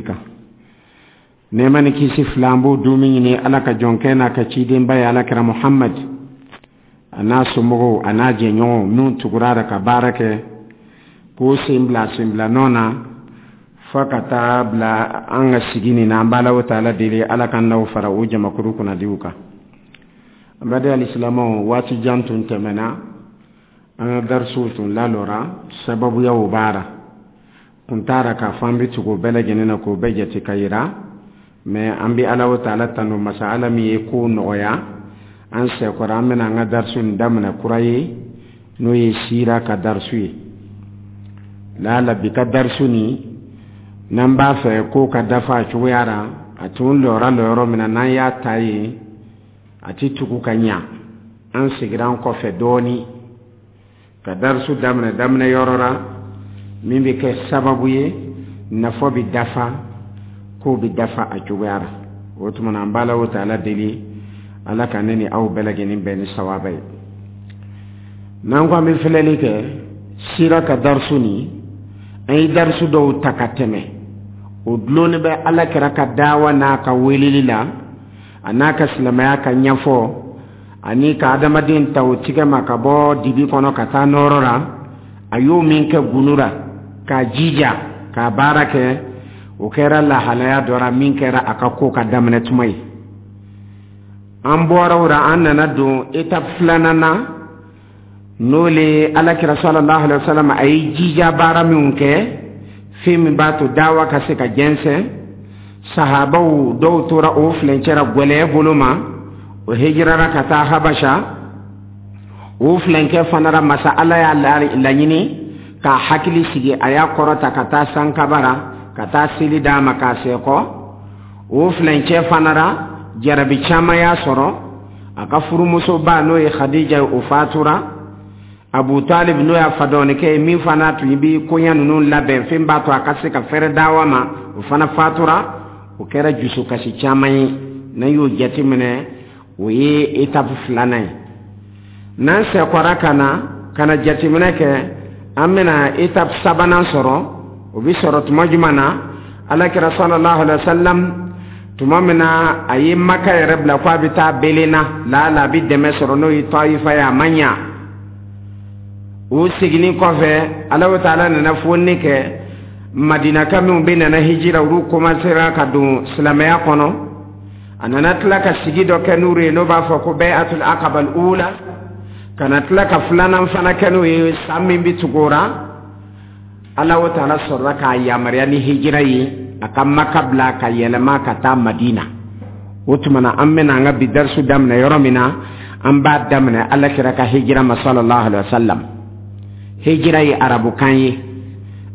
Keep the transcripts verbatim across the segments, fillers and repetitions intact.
Kan nɛɛma ni kisi fila, an b'o dumi ɲini Ala ka jɔnkɛ n'a ka cidenba ye, Alakira Muhammad, a n'a somɔgɔw, a n'a jɛɲɔgɔnw minnu tugura a ka baara kɛ k'o sen bila sen bila nɔ na fo ka taa bila an ka sigi nin na. An b'a Ala taala deli, Ala ka n'aw fara o jamakuru kunnadiw kan. An baden alisilamɛw, waati jan tun tɛmɛna, an ka darisiw tun lalɔra sababuyaw b'a ra kun taara k'a fɔ an bɛ tugu o bɛɛ lajɛlen na k'o bɛɛ jate ka yira. Mɛ an bɛ Ala taala tanu, masa Ala min ye kow nɔgɔya an sɛkɔrɔ. An bɛna an ka darisu nin daminɛ kura ye, n'o ye sira ka darisu ye. Lala bi ka darisu nin, n'an b'a fɛ ko ka dafa a cogoya la, a tun lɔra lɔyɔrɔ min na, n'an y'a ta yen, a ti tugu ka ɲa. An segira an kɔfɛ dɔɔni ka darisu daminɛ daminɛ yɔrɔ la min bɛ kɛ sababu ye nafa bɛ dafa, kow bɛ dafa a cogoya la. O tuma na, an b'a la o ta Ala deli, Ala ka ne ni aw bɛɛ lajɛlen bɛn ni sawaba ye. N'an ko an bɛ filɛli kɛ sira ka darisu nin, an ye darisu dɔw ta ka tɛmɛ, o dulonnen bɛ Ala kɛra ka dawa n'a ka weleli la, a n'a ka silamɛya ka ɲɛfɔ, ani ka adamaden ta o tigɛ ma ka bɔ dibi kɔnɔ ka taa nɔrɔ la. A y'o min kɛ gunu la k'a jija k'a baara kɛ, o kɛra lahalaya dɔ la min kɛra a ka ko ka daminɛ tuma ye. An bɔra o la, an nana don étape filanan na, n'o le Alakira sallallahu alaihi wa sallam, a ye jija baara minnu kɛ, fɛn min b'a to dawa ka se ka jɛnsɛn. Sahabaw dɔw tora o filencɛra gwɛlɛya bolo ma, o hijirara ka taa Habasha. O filenkɛ fana ra, masa Ala y'a laɲini k'a hakili sigi, a y'a kɔrɔta ka taa sankabara ka taa seli d'a ma k'a sɛkɔ. O filencɛ fana ra, jarabi caman y'a sɔrɔ. A ka furumusoba, n'o ye Khadija ye, o fatura. Abu Talib, n'o y'a fadɔnikɛ ye, min fana tun bi koɲɛ ninnu labɛn, fɛn b'a to a ka se ka fɛrɛ dawa ma, o fana fatura. O kɛra dusukasi caman ye. N'an y'o jateminɛ, o ye étape filanan ye. N'an sɛkɔra ka na ka na jateminɛ kɛ, an bɛna étape sabanan sɔrɔ. O bɛ sɔrɔ tuma jumɛn na? Alakira sallallahu alaihi wa sallam, tuma min na a ye Maka yɛrɛ bila ko a bɛ taa Belenna, laala a bɛ dɛmɛ sɔrɔ, n'o ye Tayifa ye, a ma ɲa. O seginni kɔfɛ, Alahu taala nana fonni kɛ. Madinaka minnu bɛ nana hijira, olu commencera ka don silamɛya kɔnɔ. A nana tila ka sigi dɔ kɛ n'u ye, n'o b'a fɔ ko bay'atul aqaba al-ula, ka na tila ka filanan fana kɛ n'o ye san min bɛ tugu o la. Alahu taala sɔrɔla k'a yamaruya ni hijira ye, a ka Maka bila ka yɛlɛma ka taa Madina. O tuma na, an bɛna an ka bi darisu daminɛ yɔrɔ min na, an b'a daminɛ Ala kira ka hijira ma sallallahu alaihi wa sallam. Hijira ye arabukan ye,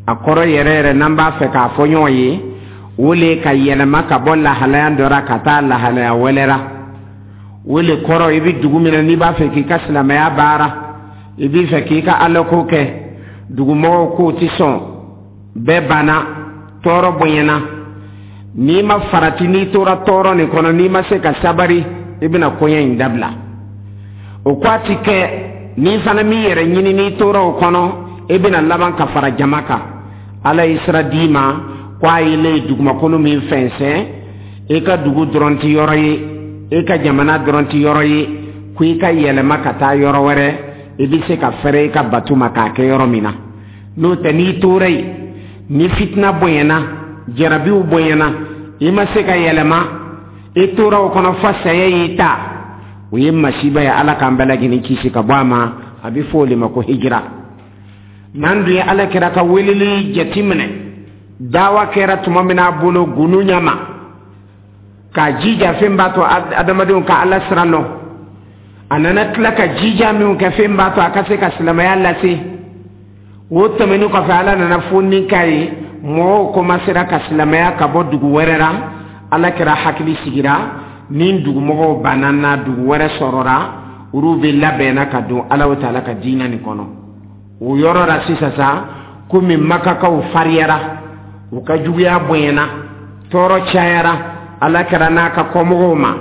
a kɔrɔ yɛrɛ yɛrɛ, n'an b'a fɛ k'a fɔ ɲɔgɔn ye, o le ka yɛlɛma ka bɔ lahalaya dɔ la ka taa lahalaya wɛrɛ la. O le kɔrɔ, i bɛ dugu min na, n'i b'a fɛ k'i ka silamɛya baara, i b'i fɛ k'i ka alako kɛ, dugumɔgɔw k'o ti sɔn, bɛɛ banna, tɔɔrɔ bonyana, n'i ma farati, n'i tora tɔɔrɔ nin kɔnɔ, n'i ma se ka sabari, i bɛna koɲɛ in dabila. O ko a ti kɛ. N'i fana m'i yɛrɛ ɲini, n'i tora o kɔnɔ, i bɛna laban ka fara jama kan. Ala ye sira d'i ma ko a ye ne ye dugumakolo min fɛnsɛn, i ka dugu dɔrɔn ti yɔrɔ ye, i ka jamana dɔrɔn ti yɔrɔ ye, ko i ka yɛlɛma ka taa yɔrɔ wɛrɛ, i bɛ se ka fɛrɛ i ka bato ma k'a kɛ yɔrɔ min na. N'o tɛ, n'i tora yen, ni fitina bonyana, jarabiw bonyana, i ma se ka yɛlɛma, i tora o kɔnɔ fo saya y'i ta, o ye masiba ye. Ala k'an bɛɛ lajɛlen kisi ka bɔ a ma. A bɛ fɔ o de ma ko hijira. N'an dun ye Ala kɛra ka weleli jateminɛ, dawa kɛra tuma min a bolo gunu ɲama k'a jija, fɛn b'a to adamadenw ka Ala sira lɔn. A nana tila ka jija minnu kɛ, fɛn b'a to a ka se ka silamɛya lase. O tɛmɛnen kɔfɛ, Ala nana fonni k'a ye, mɔgɔw commencera ka silamɛya ka bɔ dugu wɛrɛ la. Ala kɛra hakili sigira ni dugumɔgɔw banna na, dugu wɛrɛ sɔrɔra, olu bɛ labɛnna ka don Alahu taala ka diinɛ nin kɔnɔ. O yɔrɔ la sisan sa, komi Makakaw fariyara, u ka juguya bonyana, tɔɔrɔ cayara Ala kɛra n'a ka kɔmɔgɔw ma,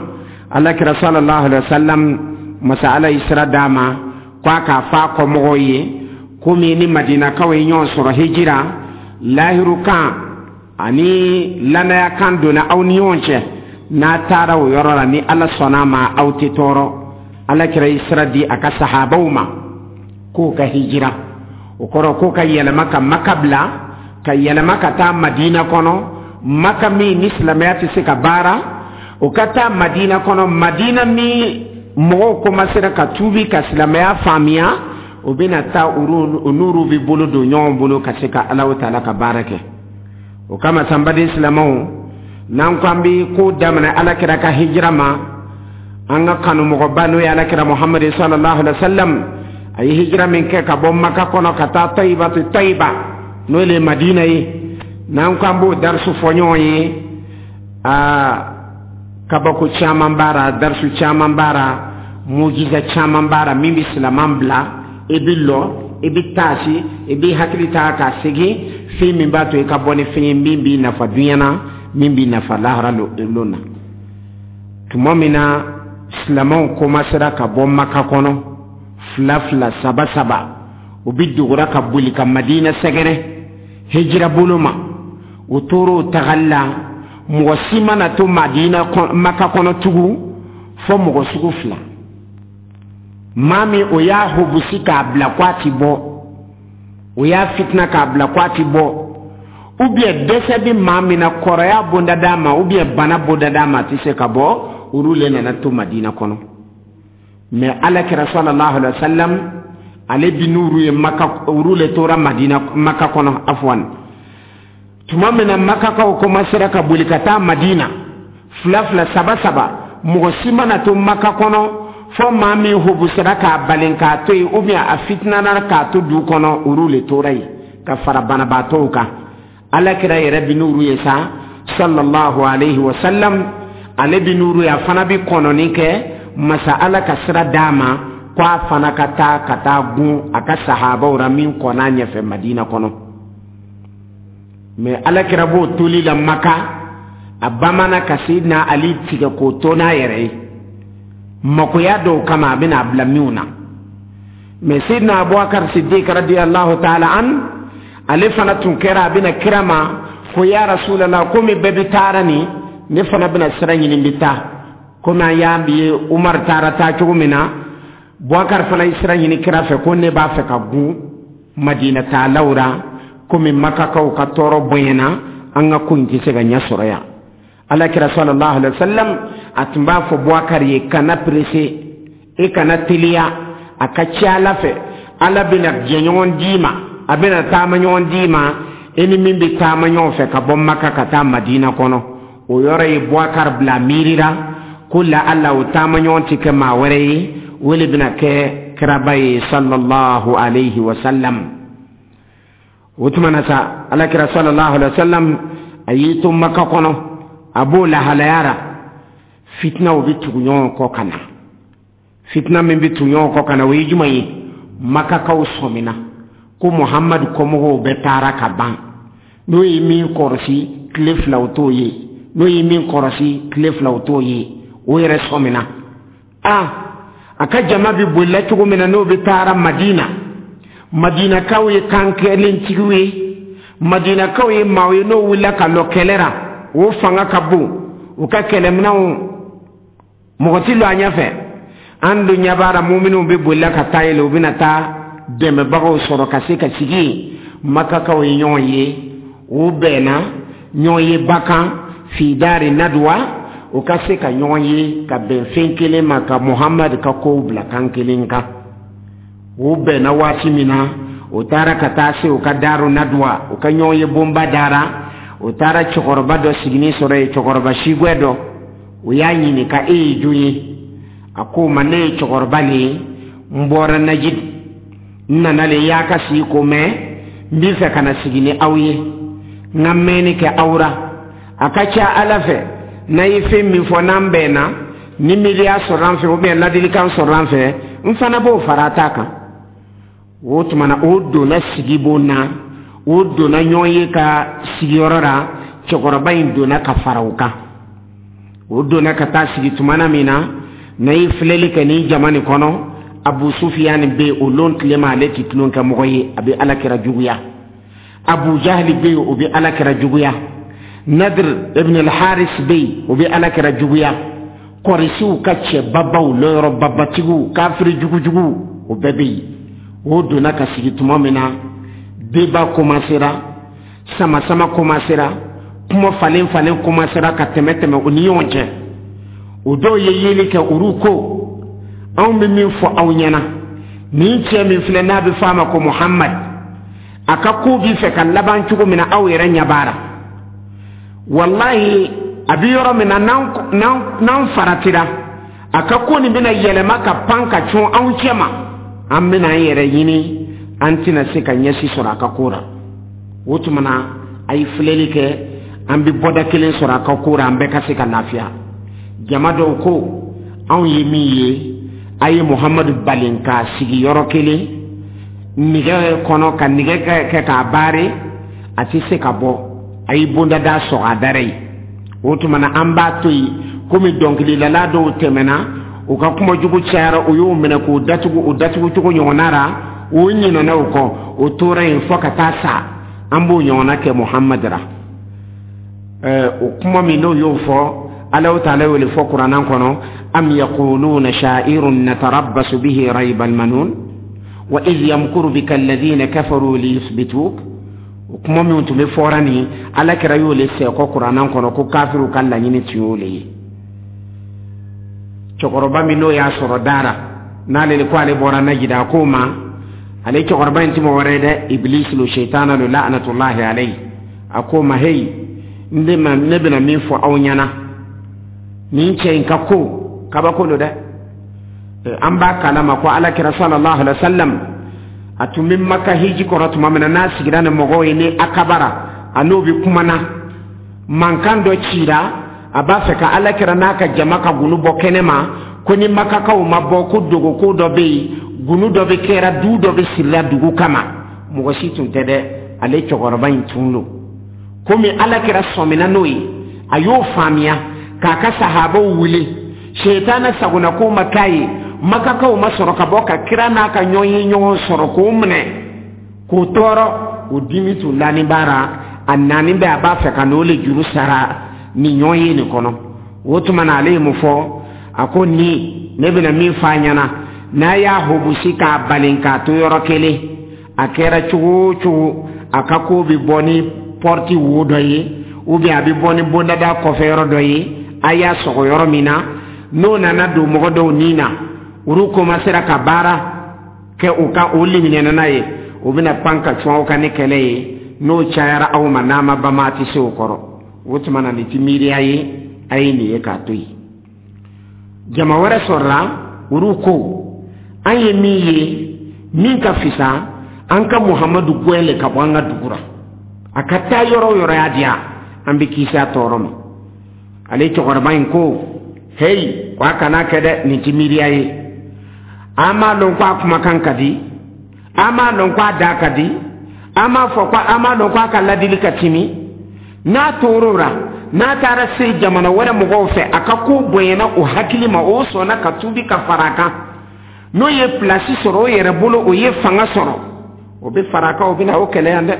Ala kɛra sallallahu alaihi wa sallam, masa Ala ye sira d'a ma ko a k'a fɔ a kɔmɔgɔw ye, komi ni Madinakaw ye ɲɔgɔn sɔrɔ hijira lahiru kan. Ani lanaya kan donna aw ni ɲɔgɔn cɛ. N'a taara o yɔrɔ la, ni Ala sɔnna a ma, aw tɛ tɔɔrɔ. Ala kira ye sira di a ka sahabaw ma k'o ka hijira. O kɔrɔ k'o ka yɛlɛma ka Maka bila, ka yɛlɛma ka taa Madina kɔnɔ. Maka min ni silamɛya tɛ se ka baara, o ka taa Madina kɔnɔ. Madina min mɔgɔw komasera ka tuubi ka silamɛya faamuya, o bɛna taa, u n'olu bɛ bolo don ɲɔgɔn bolo ka se ka Alahu taala ka baara kɛ. O kama, sanbaden silamɛw, n'an ko an bɛ ko daminɛ Ala kira ka hijira ma, an ka kanumɔgɔba, n'o ye Alakira Muhamadu sallallahu alaihi wa sallam, a ye hijira min kɛ ka bɔ Maka kɔnɔ ka taa Tayibatu Tayiba, n'o le ye Madina ye, n'an ko an b'o darisu fɔ ɲɔgɔn ye, aa, kabako caman b'a la, darisu caman b'a la, mujiza caman b'a la, min bɛ silaman bila i bɛ lɔ, i bɛ taasi, i bɛ hakili ta k'a segin, fɛn min b'a to i ka bɔ ni fɛn ye min b'i nafa duɲa na, min b'i nafa lahara lon na. Tuma min na silamɛw komasera ka bɔ Maka kɔnɔ fila fila, saba saba, u bɛ dogora ka boli ka Madina sɛgɛrɛ hijira bolo ma. U tora o tagali la, mɔgɔ si mana to Madina, Maka kɔnɔ tugun, fo mɔgɔ sugu fila. Maa min o y'a hobusi k'a bila ko a ti bɔ, o y'a fitina k'a bila ko a ti bɔ, ou bien dɛsɛ bɛ maa min na, kɔrɔya bonda d'a ma, ou bien bana bonda d'a ma, a tɛ se ka bɔ, olu le nana to Madina kɔnɔ. Mais Ala kira sallallahu alaihi wa sallam, ale bi n'uru ye Maka, olu le tora Madina, Maka kɔnɔ afwan. Tuma min na Makakaw komasera ka boli ka taa Madina fila fila, saba saba, mɔgɔ si mana to Maka kɔnɔ fo maa min hobusera k'a balen k'a to yen, ou bien a fitinana k'a to du kɔnɔ, olu le tora yen ka fara banabaatɔw kan. Ala kira yɛrɛ bi n'uru ye sa sallallahu alaihi wa sallam, ale bi n'uru ye, a fana bi kɔnɔni kɛ masa Ala ka sira d'a ma ko a fana ka taa ka taa gun a ka sahabaw ra min kɔn'a ɲɛfɛ Madina kɔnɔ. Mais Ala kira b'o toli la Maka, a bamana ka Seyidina Ali tigɛ k'o to n'a yɛrɛ ye makoya dɔw kama, a bɛna a bila minw na. Mais Seyidina Abubakar Siddiq radiyallahu ta'ala an, ale fana tun kɛra a bɛna kira ma ko: "Ya Rasulallah, komi bɛɛ bɛ taara nin, ne fana bɛna sira ɲini, bɛ taa komi an y'a ye Umar taara taa cogo min na." Bubakar fana ye sira ɲini kira fɛ ko: "Ne b'a fɛ ka gun Madina taalaw ra, komi Makakaw ka tɔɔrɔ bonyana, an ka ko in tɛ se ka ɲɛ sɔrɔ yan." Ala kira sallallahu alaihi wa sallam, a tun b'a fɔ Bubakar ye: "Kana pressé, e kana teliya. A ka ca Ala fɛ, Ala bɛna jɛɲɔgɔn d'i ma, a bɛna taama ɲɔgɔn d'i ma, e ni min bɛ taama ɲɔgɔn fɛ ka bɔ Maka ka taa Madina kɔnɔ." O yɔrɔ ye Bubakar bila miirira ko la Ala o taama ɲɔgɔn tɛ kɛ maa wɛrɛ ye, o de bɛna kɛ kiraba ye sallallahu alaihi wa sallam. O tuma na sa, Alakira sallallahu alaihi wa sallam, a y'i to Maka kɔnɔ, a b'o lahalaya la, fitinaw bɛ tugu ɲɔgɔn kɔ ka na. Fitina min bɛ tugu ɲɔgɔn kɔ ka na, o ye jumɛn ye? Makakaw sɔmina ko Muhamadu kɔmɔgɔw bɛɛ taara ka ban. N'o ye min kɔrɔsi tile fila, o t'o ye. N'o ye min kɔrɔsi tile fila, o t'o ye. O yɛrɛ sɔmina a a ka jama bɛ bolila cogo min na, n'o bɛ taara Madina. Madinakaw ye kan kelentigiw ye, Madinakaw ye maaw ye n'o wulila ka lɔ kɛlɛ la, o fanga ka bon, u ka kɛlɛminɛnw, mɔgɔ ti lɔ a ɲɛfɛ. An dun ɲɛ b'a la, muminw bɛ bolila ka taa yɛlɛ, u bɛna taa dɛmɛbagaw sɔrɔ ka se ka sigi yen. Makakaw ye ɲɔgɔn ye, u bɛnna ɲɔgɔn ye ba kan fidari nadwa, u ka se ka ɲɔgɔn ye ka bɛn fɛn kelen ma, ka Muhamadu ka kow bila kan kelen kan. U bɛnna waati min na, u taara ka taa se u ka daru nadwa, u ka ɲɔgɔn ye bonba dara. U taara cɛkɔrɔba dɔ siginin sɔrɔ yen, cɛkɔrɔba sigwɛ dɔ. U y'a ɲininka: "E ye jɔn ye?" A ko ma: "Ne ye cɛkɔrɔba le ye, n bɔra Najid, n nana le y'a ka sigi ko mɛn, n b'i fɛ ka na sigi ni aw ye, n ka mɛnni kɛ aw ra. A ka ca Ala fɛ, n'a ye fɛn min fɔ, n'an bɛnna, ni miiriya sɔrɔ an fɛ, ou bien ladilikan sɔrɔ an fɛ, n fana b'o fara a ta kan." O tuma na, o donna sigibon na, o donna ɲɔgɔn ye ka sigiyɔrɔ la. Cɛkɔrɔba in donna ka fara o kan. O donna ka taa sigi tumana min na, n'a ye filɛli kɛ nin jama nin kɔnɔ, Abu Sufiyani bɛ yen. O lon tilema, ale ti tulon kɛ mɔgɔ ye, a bɛ Ala kira juguya. Abu Jahali bɛ yen, o bɛ Ala kira juguya. Nadir ibn al-Haris bɛ yen, o bɛ ala kira juguya. Kɔrisiw ka cɛbabaw, lɔyɔrɔ babatigiw, kafiri jugujuguw, o bɛɛ bɛ yen. O donna ka sigi tuma min na, débat commencera, sama-sama commencera, kuma falen falen commencera ka tɛmɛ tɛmɛ u ni ɲɔgɔn cɛ. O dɔw ye yeli kɛ, olu ko: anw bɛ min fɔ aw ɲɛna, nin cɛ min filɛ n'a bɛ fɔ a ma ko Muhammad, a ka ko b'i fɛ ka laban cogo min na, aw yɛrɛ ɲɛ b'a la. Walahi, a bɛ yɔrɔ min na, n'an faratira, a ka ko nin bɛna yɛlɛma ka pan ka cun anw cɛ ma, an bɛna an yɛrɛ ɲini, an tɛna se ka ɲɛsi sɔrɔ a ka ko la. O tuma na, a ye filɛli kɛ, an bɛ bɔda kelen sɔrɔ a ka ko la, an bɛɛ ka se ka lafiya. Jama dɔw ko: anw ye min ye, a ye Muhamadu balen k'a sigi yɔrɔ kelen nɛgɛ kɔnɔ, ka nɛgɛ kɛ k'a baare, a tɛ se ka bɔ. A ye bondada sɔgɔ a dara ye. O tuma na, an b'a to yen, komi dɔnkilidala dɔw tɛmɛna, u ka kuma jugu cayara, u y'o minɛ k'o datugu o datugu cogo ɲɔgɔnna la, o ɲinɛna o kɔ, o tora yen fo ka taa sa. An b'o ɲɔgɔnna kɛ Muhamadu la. Ɛɛ o kuma min n'o y'o fɔ, Alahu taala y'o de fɔ kuranna kɔnɔ: am yaquluna sha'irun natarabbasu bihi rayba almanun wa idh yamkuru bika alladhina kafaru liyuthbituk. O kuma min tun bɛ fɔra nin, ala kɛra y'o le sɛkɔ kuranna kɔnɔ ko kafiriw ka laɲini tun y'o le ye. Cɛkɔrɔba min n'o y'a sɔrɔ dara n'ale de ko ale bɔra Najida, a k'o ma, ale cɛkɔrɔba in ti mɔgɔ wɛrɛ ye dɛ, Iblis lo, shaitana lo, la'natullahi alayhi. A k'o ma: heyi, ne ma, ne bɛna min fɔ aw ɲɛna, nin cɛ in ka ko kabako lo dɛ. An b'a kalama ko ala kira sallallahu alaihi wa sallam, a tun bɛ Maka hiji kɔrɔ tuma min na, n'a sigira ni mɔgɔw ye ni akabara, a n'o bɛ kuma na, mankan dɔ cira, a b'a fɛ ka ala kira n'a ka jama ka gunu bɔ kɛnɛ ma, ko ni Makakaw ma bɔ, ko dogoko dɔ bɛ yen, gunu dɔ bɛ kɛra, du dɔ bɛ sirila dugu kama. Mɔgɔ si tun tɛ dɛ, ale cɛkɔrɔba in tun don. Komi ala kira sɔmina n'o ye, a y'o faamuya k'a ka sahabaw wele. Shetana sagona ko ma k'a ye, Makakaw ma sɔrɔ ka bɔ ka kira n'a ka ɲɔgɔn ye ɲɔgɔn sɔrɔ k'o minɛ k'o tɔɔrɔ. O dimi tun lani b'a la, a naani bɛ, a b'a fɛ ka n'o le juru sara nin ɲɔgɔn ye nin kɔnɔ. O tuma na, ale ye mun fɔ? A ko: ni ne bɛna min f'a ɲɛna, n'a y'a hobusi k'a balen k'a to yɔrɔ kelen, a kɛra cogo o cogo, a ka ko bɛ bɔ ni pɔriti wo dɔ ye, ou bien a bɛ bɔ ni bondada kɔfɛ yɔrɔ dɔ ye. A y'a sɔgɔ yɔrɔ min na, n'o nana don mɔgɔ dɔw nin na, olu commencera ka baara kɛ u ka o liminɛna n'a ye, o bɛna pan ka cun aw kan ni kɛlɛ ye. N'o cayara aw ma, n'a ma bama, a tɛ se o kɔrɔ. O tuma na, nin ti miiriya ye, a ye nin ye k'a to yen. Jama wɛrɛ sɔrɔla, olu ko: an ye min ye, min ka fisa, an ka Muhamadu gɛn le ka bɔ an ka dugu la, a ka taa yɔrɔ o yɔrɔ y'a diya, an bɛ kisi a tɔɔrɔ ma. Ale cɛkɔrɔba in ko: heyi, ko a kana kɛ dɛ, nin ti miiriya ye. An m'a lɔn ko a kumakan ka di, an m'a lɔn ko a da ka di, an m'a fɔ ko an m'a lɔn ko a ka ladili ka timi. N'a tor'o la, n'a taara se jamana wɛrɛ mɔgɔw fɛ, a ka ko bonyana o hakili ma, o sɔnna ka tuubi ka fara a kan, n'o ye pilasi sɔrɔ o yɛrɛ bolo, o ye fanga sɔrɔ, o bɛ fara a kan, o bɛna o kɛlɛ yan dɛ.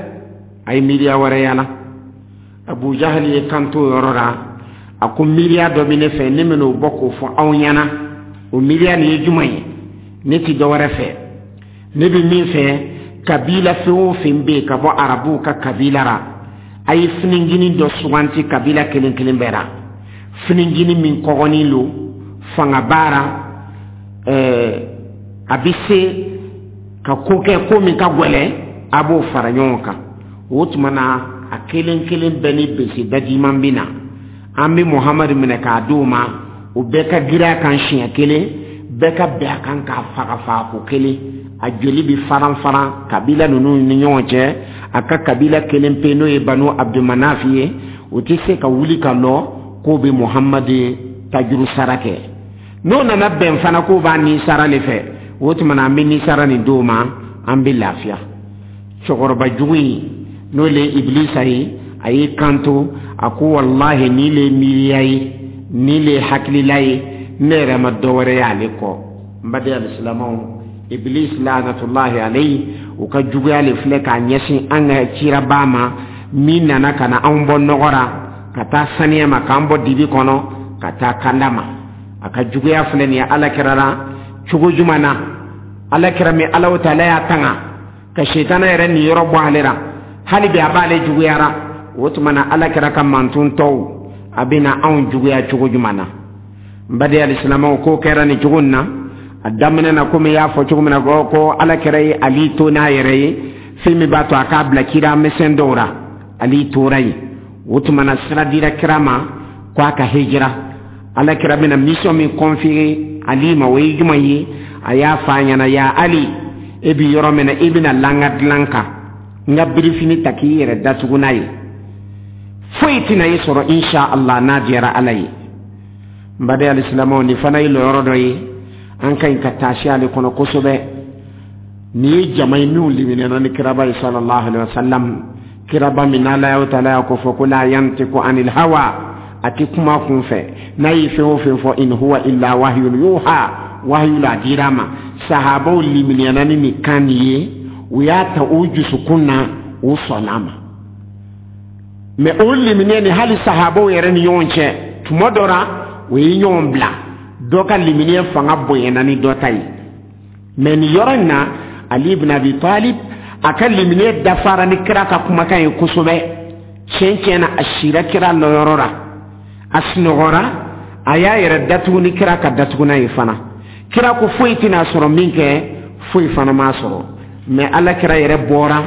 A ye miiriya wɛrɛ yala. Abu Jahali ye kanto o yɔrɔ la, a ko: miiriya dɔ bɛ ne fɛ, ne bɛn'o bɔ k'o fɔ aw ɲɛna. O miiriya nin ye jumɛn ye? Ne ti dɔ wɛrɛ fɛ, ne bɛ min fɛ, kabila fɛn o fɛn bɛ yen ka bɔ arabuw ka kabila la, a ye finijinin dɔ suganti kabila kelen kelen bɛɛ la, finijinin min kɔgɔnin lo, fanga b'a la, ɛɛ a bɛ se ka ko kɛ ko min ka gɛlɛn, a b'o fara ɲɔgɔn kan. O tuma na, a kelen kelen bɛɛ ni bese dajiman bɛ na, an bɛ Muhamadu minɛ k'a d'o ma, o bɛɛ ka girin a kan siɲɛ kelen, bɛɛ ka bɛn a kan k'a faga fagako kelen, a joli bɛ faran faran kabila ninnu ni ɲɔgɔn cɛ. A ka kabila kelen pe, n'o ye Banu Abdulmanaf ye, o tɛ se ka wuli ka lɔ k'o bɛ Muhamadu tajuru sara kɛ. N'o nana bɛn fana k'o b'a ni sara le fɛ, o tuma na, an bɛ ni sara nin d'o ma, an bɛ lafiya. Cɛkɔrɔba jugu in, n'o le ye Ibilisa ye, a y'i kanto, a ko: walahi, nin le ye miiriya ye, nin le ye hakilila ye, ne yɛrɛ ma dɔ wɛrɛ y'ale kɔ. N baden alisilamɛw, Iblis lanatullahi alayhi, u ka juguya le filɛ k'a ɲɛsin an ka ciraba ma min nana ka na anw bɔ nɔgɔ la. Ka taa saniya ma, k'an bɔ dibi kɔnɔ ka taa kanda ma. A ka juguya filɛ nin ye Ala kira la cogo jumɛn na? Ala kira min Alahu taala y'a tanga ka sitana yɛrɛ niyɔrɔ bɔ ale la, hali bi a b'ale juguyara. O tuma na Ala kira ka mantun tɔw a bɛna anw juguya cogo jumɛn na? N baden alisilamɛw, k'o kɛra nin cogo in na. A daminɛ na, komi i y'a fɔ cogo min na, ko Ala kira ye Ali to n'a yɛrɛ ye, fɛn min b'a to a k'a bila kira misɛn dɔw la, Ali tora yen. O tuma na sira dira kira ma ko a ka hijira. Ala kira bɛna mission min confier Ali ma, o ye jumɛn ye? A y'a fɔ a ɲɛna: ya Ali, e bi yɔrɔ min na, i bɛna la n ka dilan kan, n ka birifini ta k'i yɛrɛ datugu n'a ye, foyi tɛna i sɔrɔ, insha Allah, n'a diyara Ala ye. N baden alisilamɛw, nin fana ye lɔyɔrɔ dɔ ye an ka ɲi ka taasi ale kɔnɔ kosɛbɛ. Nin ye jama ye minnu liminɛna ni kiraba ye sallallahu alaihi wa sallam, kiraba min n'Ala y'o taala y'a ko fɔ ko la yantiku anil hawa, a ti kuma kun fɛ, n'a ye fɛn o fɛn fɔ, in huwa illa wahyun yuha, wahyu la dira ma. Sahabaw liminɛna ni nin kan nin ye, u y'a ta u dusukun na, u sɔnna ma. Mɛ o liminiya ni hali sahabaw yɛrɛ ni ɲɔgɔn cɛ, tuma dɔ la o ye ɲɔgɔn bila, dɔ ka liminiya fanga bonyana ni dɔ ta ye. Mɛ nin yɔrɔ in na, Ali ibn Abi Talib a ka liminiya dafara ni kira ka kumakan ye kosɛbɛ. Tiɲɛ tiɲɛ na, a sira kira lɔyɔrɔ la, a sunɔgɔra, a y'a yɛrɛ datugu ni kira ka datugunan ye fana. Kira ko foyi tɛna sɔrɔ min kɛ, foyi fana m'a sɔrɔ. Mɛ Ala kira yɛrɛ bɔra,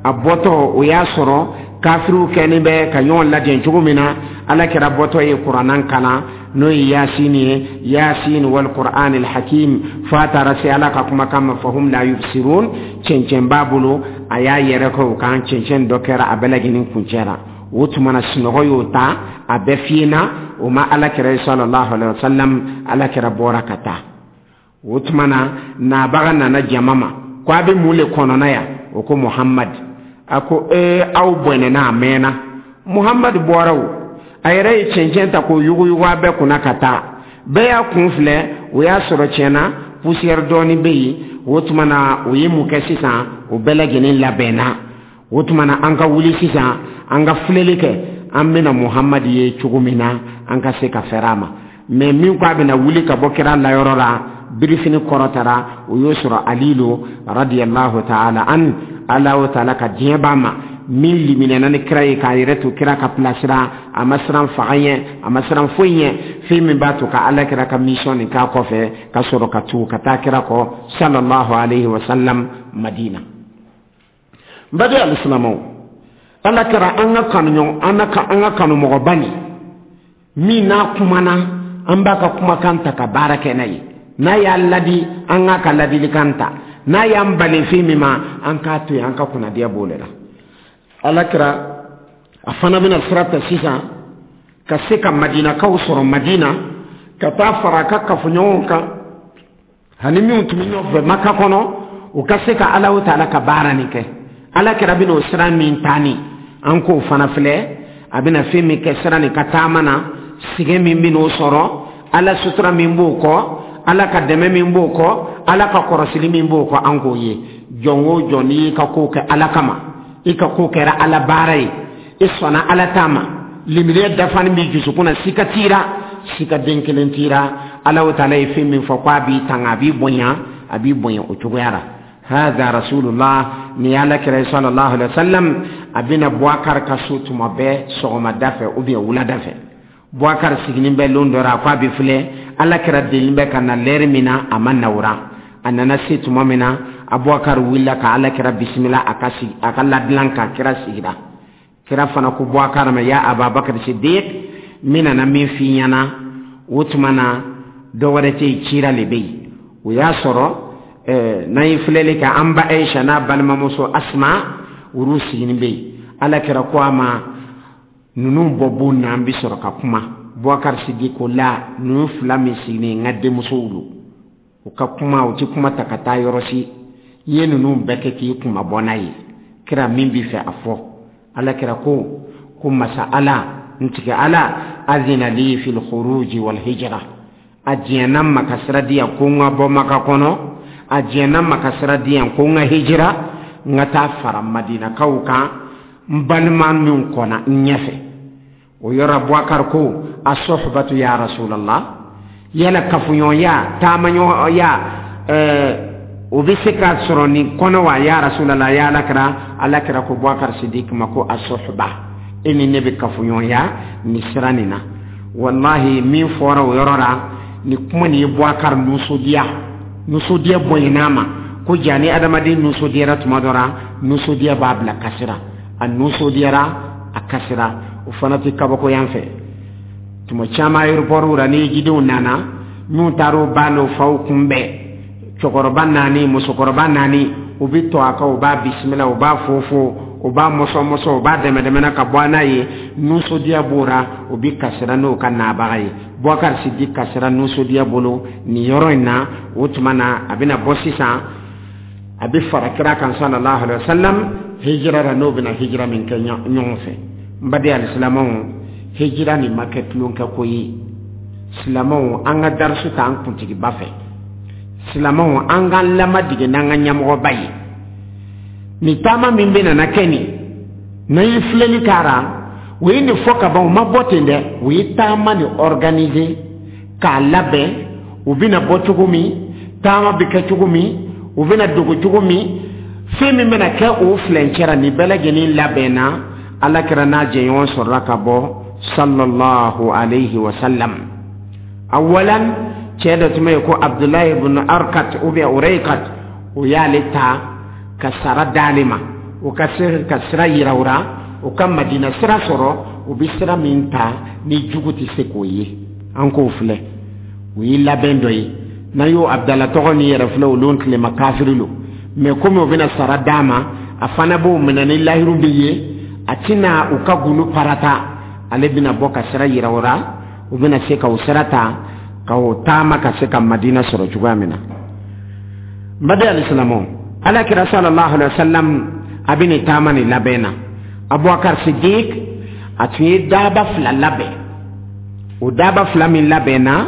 a bɔtɔ o y'a sɔrɔ kafiriw kɛlen bɛ ka ɲɔgɔn lajɛ cogo min na. Ala kira bɔtɔ ye kuranna kalan, n'o ye Yasin ye, Yasin wal Qur'an al Hakim, fo a taara se Ala ka kumakan ma, fahum la yubsirun. Cɛncɛn b'a bolo, a y'a yɛrɛ kɛ o kan, cɛncɛn dɔ kɛra a bɛɛ lajɛlen kuncɛra. O tuma na sunɔgɔ y'o ta, a bɛɛ fiyena, o ma Ala kira sallallahu alaihi wa sallam. Ala kira bɔra ka taa. O tuma na nabaga nana jama ma ko a bɛ mun le kɔnɔna yan? O ko Muhammad. A ko ee, aw bɔnɛna, a mɛnna, Muhammad bɔra, o a yɛrɛ ye cɛncɛn ta k'o yuguyugu a bɛɛ kunna ka taa. Bɛɛ y'a kun filɛ, o y'a sɔrɔ tiɲɛna poussière dɔɔni bɛ yen. O tuma na o ye mun kɛ sisan? O bɛɛ lajɛlen labɛnna. O tuma na an ka wuli sisan, an ka filɛli kɛ, an bɛna Muhammad ye cogo min na, an ka se ka fɛrɛ a ma. Mɛ min ko a bɛna wuli ka bɔ kira layɔrɔ la, birifini kɔrɔtara, o y'o sɔrɔ Ali lo radiyallahu ta'ala an, Alahu taala ka diɲɛ b'a ma, min liminɛna ni kira ye k'a yɛrɛ to kira ka pilasira, a ma siran faga ɲɛ, a ma siran foyi ɲɛ, fɛn min b'a to ka Ala kira ka mission nin k'a kɔfɛ, ka sɔrɔ ka tugu ka taa kira kɔ sallallahu alaihi wa sallam Madina. N baden alisilamɛw, Ala kɛra an ka kanu, an ka an ka kanumɔgɔba nin min n'a kumana, an b'a ka kumakan ta ka baara kɛ n'a ye. N'a y'a ladi, an k'a ka ladilikan ta. N'a y'an bali fɛn min ma, an k'a to yen, an ka kunnadiya b'o de la. Ala kɛra a fana bɛna sira ta sisan ka se ka Madinakaw sɔrɔ Madina, ka taa fara a ka kafoɲɔgɔnw kan ani minnu tun bɛ ɲɔgɔn fɛ Maka kɔnɔ, u ka se ka Alahu taala ka baara nin kɛ. Ala kɛra bɛna o sira min ta nin, an k'o fana filɛ, a bɛna fɛn min kɛ sira nin ka taama na, sɛgɛn min bɛn'o sɔrɔ, Ala sutura min b'o kɔ, Ala ka dɛmɛ min b'o kɔ, Ala ka kɔrɔsili min b'o kɔ, an k'o ye. Jɔn o jɔn, n'i y'i ka ko kɛ Ala kama, i ka ko kɛra Ala baara ye, i sɔnna Ala ta ma, limaniya dafani b'i dusukun na, sika t'i la, sika den kelen t'i la, Alahu taala ye fɛn min fɔ k'a b'i tanga, a b'i bonya, a b'i bonya o cogoya la. Hadha rasulullah, ni Ala kira sallallahu alaihi wasallam, a bɛna Boubacar ka so tuma bɛɛ sɔgɔmada fɛ ou bien wulada fɛ. Boubacar sigilen bɛ lon dɔ la, a ko a bɛ filɛ, Ala kira deli bɛ ka na lɛri min na, a ma nawra. A nana se tuma min na, Abubakar wulila ka Ala kira bisimila a ka sigi a ka ladilan kan. Kira sigira, kira fana ko Boubacar ma: ya Ababakar Siddiq, min nana min f'i ɲɛna, o tuma na dɔ wɛrɛ tɛ yen, cira le bɛ yen. O y'a sɔrɔ n'an ye filɛli kɛ, an ba Aisha n'a balimamuso Asma, olu sigilen bɛ yen. Ala kira ko a ma: ninnu bɔ bon na, an bɛ sɔrɔ ka kuma. Boubacar Siddiq ko la, ninnu fila min sigilen, n ka denmusow don, u ka kuma, u ti kuma ta ka taa yɔrɔ si. I ye ninnu bɛɛ kɛ k'i kuma bɔ n'a ye, kira min b'i fɛ a fɔ. Ala kira ko ko masa Ala n tigɛ Ala azina li fil khuruji wal hijra, a diɲɛna ma ka sira di yan ko n ka bɔ Maka kɔnɔ, a diɲɛna ma ka sira di yan ko n ka hijira, n ka taa fara Madinakaw kan, n balima min kɔnna n ɲɛfɛ. O yɔrɔ Bubakar ko asohbatu ya rasulallah, yala kafuɲɔgɔnya, taamaɲɔgɔnya, ɛɛ o bɛ se ka sɔrɔ nin kɔnɔ wa, ya rasulallah, ya Alakira? Alakira ko Bubakar Sidik ma ko asohba, e ni ne bɛ kafuɲɔgɔnya nin sira nin na. Wallahi, min fɔra o yɔrɔ la, ni kuma nin ye Bubakar nisɔndiya, nisɔndiya bonyana ma ko ja. Ni adamaden nisɔndiyara tuma dɔ la, nisɔndiya b'a bila kasira. A nisɔndiyara, a kasira. O fana tɛ kabako yan fɛ. Tuma caman aéroport la, ni jidenw nana, minnu taara o ba n'o faw kunbɛn, cɛkɔrɔba naani, musokɔrɔba naani, u bɛ to a kan, u b'a bisimila, u b'a fofo, u b'a mɔsɔn mɔsɔn, u b'a dɛmɛ dɛmɛna ka bɔ n'a ye. Nisɔndiya b'o la, u bɛ kasira n'o ka nabaga ye. Bubakar Sidik kasira nisɔndiya bolo nin yɔrɔ in na. O tuma na, a bɛna bɔ sisan, a bɛ fara kira kan sallallahu alaihi wa sallam hijira la, n'o bɛna hijira min kɛ ɲɔgɔn fɛ. N baden alisilamɛw, hijira nin ma kɛ tulonkɛ ko ye. Silamɛw, an ka darisu ta an kuntigiba fɛ. Silamɛw, an k'an lamadege n'an ka ɲɛmɔgɔba ye. Nin taama min bɛ nana kɛ nin, n'an ye filɛli k'a la, o ye nin fɔ ka ban, u ma bɔ ten dɛ. U ye taama nin organiser k'a labɛn, u bɛna bɔ cogo min, taama bɛ kɛ cogo min, u bɛna dogo cogo min, fɛn min bɛna kɛ o filɛncɛ, nin bɛɛ lajɛlen labɛnna. Ala kɛra n'a jɛɲɔgɔn sɔrɔla ka bɔ sallallahu alayhi wa sallam. Awalan, cɛ dɔ tun bɛ yen ko Abdulayi ibn Arkat ou bien Uraykat, o y'ale ta ka sara d'ale ma, o ka se ka sira yira o la, o ka Madina sira sɔrɔ. O bɛ sira min ta ni jugu tɛ se k'o ye, an k'o filɛ, o ye labɛn dɔ ye. N'an y'o Abdala tɔgɔ ni yɛrɛ filɛ, olu tilema kafiri lo, mɛ komi o bɛna sara d'a ma, a fana b'o minɛ ni lahiru bɛ ye, a tɛna u ka gunu parata. Ale bɛna bɔ ka sira yira o la, u bɛna se ka o sira ta ka o taama ka se ka Madina sɔrɔ cogoya min na. N baden alisilamɛw, Ala kira sallallahu alaihi wa sallam a bɛ nin taama nin labɛn na. Abubakar Sidik a tun ye daaba fila labɛn. O daaba fila min labɛn na,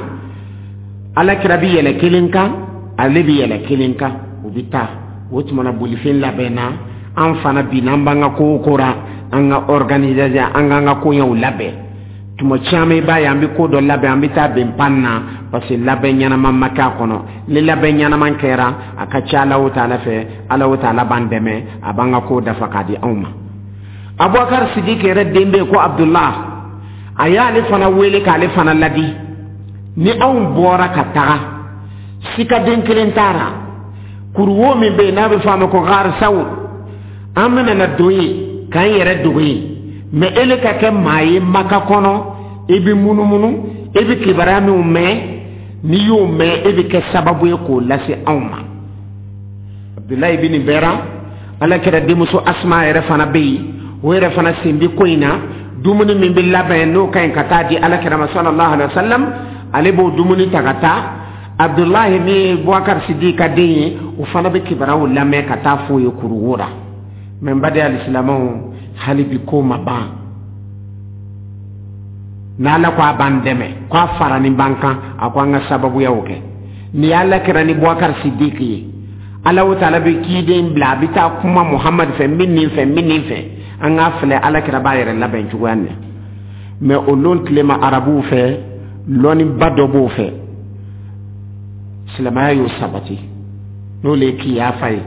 Ala kira bɛ yɛlɛ kelen kan, ale bɛ yɛlɛ kelen kan, u bɛ taa. O tuma na, bolifɛn labɛn na. An fana bi, n'an b'an ka kow kora, an ka organisation, an k'an ka koɲɛw labɛn. Tuma caman, i b'a ye an bɛ ko dɔ labɛn, an bɛ taa bɛn pan na, parce que labɛn ɲɛnama ma kɛ a kɔnɔ. Ni labɛn ɲɛnama kɛra, a ka ca Ala o taala fɛ, Ala o taala b'an dɛmɛ, a b'an ka ko dafa k'a di anw ma. Abubakar Sidik yɛrɛ den bɛ yen ko Abdullah, a y'ale fana wele k'ale fana ladi: ni anw bɔra ka taga, sikaden kelen taara kuruwo min bɛ yen n'a bɛ fɔ a ma ko Gar Sawur, an bɛna na don yen k'an yɛrɛ dogo yen. Mɛ ele ka kɛ maa ye Maka kɔnɔ, i bɛ munumunu, i bɛ kibaruya minw mɛn, n'i y'o mɛn, e bɛ kɛ sababu ye k'o lase anw ma. Abdulayi bin bɛra Ala kɛra denmuso Asuma yɛrɛ fana bɛ yen, o yɛrɛ fana sen bɛ ko in na. Dumuni min bɛ labɛn, n'o ka ɲi ka taa di Ala kɛra ma sallallahu alaihi wa sallam, ale b'o dumuni ta ka taa. Abdulayi min ye Bubakar Sidi ka den ye, o fana bɛ kibaruyaw lamɛn ka taa f'o ye kuruwo la. Mɛ n baden alisilamɛw, hali bi ko ma ban. N'Ala ko a b'an dɛmɛ, ko a fara ni b'an kan, a ko an ka sababuyaw kɛ. Ni Ala kɛra ni Bubakar Sidiki ye, Ala o taala bɛ kiden bila, a bɛ taa kuma Muhamadu fɛ, n bɛ nin fɛ, n bɛ nin fɛ. An k'a filɛ, Ala kɛra b'a yɛrɛ labɛn cogoya min na. Mɛ o lon tilema, arabuw fɛ, lɔnniba dɔ b'o fɛ, silamɛya y'o sabati, n'o le ye kiyafa ye.